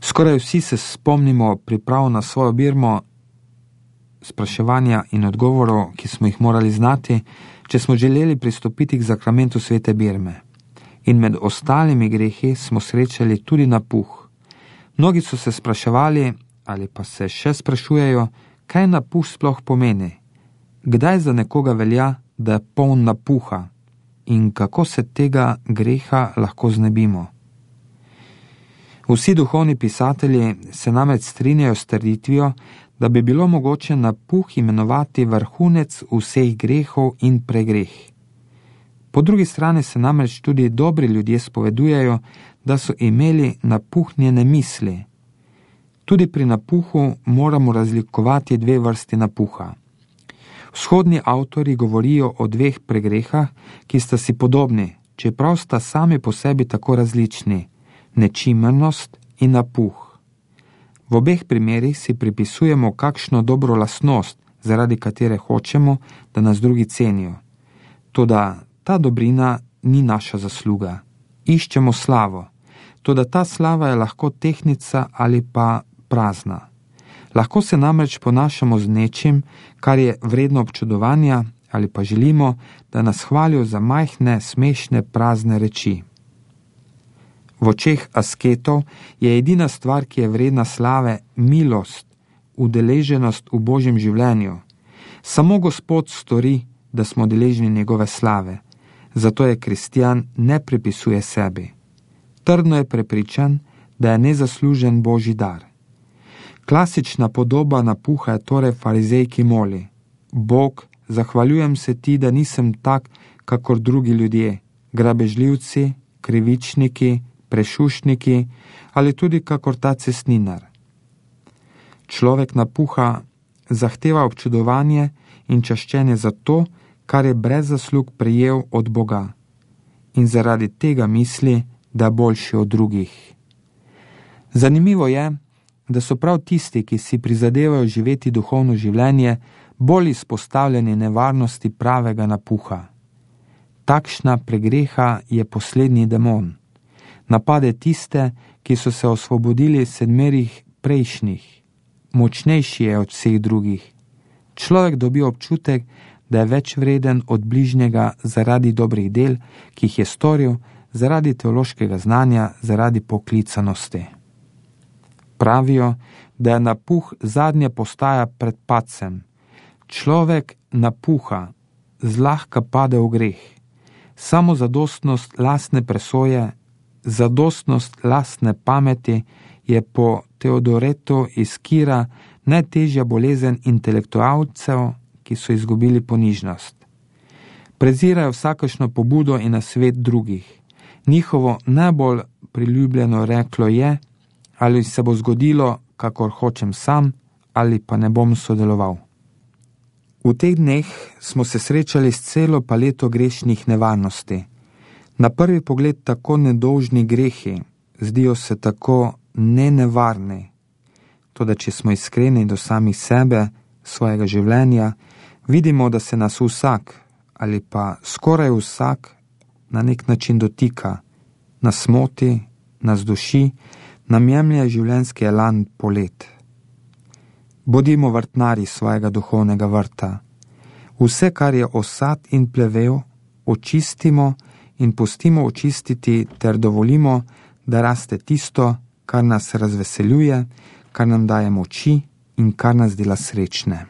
Skoraj vsi se spomnimo priprav na svojo birmo, spraševanja in odgovorov, ki smo jih morali znati, če smo želeli pristopiti k zakramentu svete birme. In med ostalimi grehi smo srečali tudi napuh. Mnogi so se spraševali, ali pa se še sprašujejo, kaj napuh sploh pomeni. Kdaj za nekoga velja, da je poln napuha in kako se tega greha lahko znebimo. Vsi duhovni pisatelji se namreč strinjajo s trditvijo, da bi bilo mogoče napuh imenovati vrhunec vseh grehov in pregreh. Po drugi strani se namreč tudi dobri ljudje spovedujejo, da so imeli napuhnjene misli. Tudi pri napuhu moramo razlikovati dve vrsti napuha. Vzhodni avtori govorijo o dveh pregrehah, ki sta si podobni, čeprav sta sami po sebi tako različni, nečimrnost in napuh. V obeh primerih si pripisujemo kakšno dobro lastnost, zaradi katere hočemo, da nas drugi cenijo. Toda ta dobrina ni naša zasluga. Iščemo slavo. Toda ta slava je lahko tehtnica ali pa prazna. Lahko se namreč ponašamo z nečim, kar je vredno občudovanja, ali pa želimo, da nas hvalijo za majhne, smešne, prazne reči. V očeh asketov je edina stvar, ki je vredna slave, milost, udeleženost v Božjem življenju. Samo Gospod stori, da smo deležni njegove slave. Zato je kristjan ne pripisuje sebi. Trdno je prepričan, da je nezaslužen Božji dar. Klasična podoba napuha je torej farizej, ki moli: Bog, zahvaljujem se ti, da nisem tak, kakor drugi ljudje, grabežljivci, krivičniki, prešušniki ali tudi kakor ta cestninar. Človek napuha zahteva občudovanje in čaščenje za to, kar je brez zaslug prejel od Boga, in zaradi tega misli, da je boljši od drugih. Zanimivo je, da so prav tisti, ki si prizadevajo živeti duhovno življenje, bolj izpostavljeni nevarnosti pravega napuha. Takšna pregreha je poslednji demon. Napade tiste, ki so se osvobodili sedmerih prejšnjih. Močnejši je od vseh drugih. Človek dobi občutek, da je več vreden od bližnjega zaradi dobrih del, ki jih je storil, zaradi teološkega znanja, zaradi poklicanosti. Pravijo, da je napuh zadnja postaja pred padcem. Človek napuha, zlahka pade v greh. Samozadostnost lastne presoje, zadostnost lastne pameti je po Teodoretu iz Kira najtežja bolezen intelektualcev, ki so izgubili ponižnost. Prezirajo vsakršno pobudo in nasvet drugih. Njihovo najbolj priljubljeno reklo je: ali se bo zgodilo, kakor hočem sam, ali pa ne bom sodeloval. V teh dneh smo se srečali s celo paleto grešnih nevarnosti. Na prvi pogled tako nedolžni grehi zdijo se tako nenevarni. Toda če smo iskreni do samih sebe, svojega življenja, vidimo, da se nas vsak ali pa skoraj vsak na nek način dotika, nas moti, nas duši, nam jemlje življenjski elan polet. Bodimo vrtnari svojega duhovnega vrta. Vse, kar je osad in plevel, očistimo in pustimo očistiti ter dovolimo, da raste tisto, kar nas razveseljuje, kar nam daje moči in kar nas dela srečne.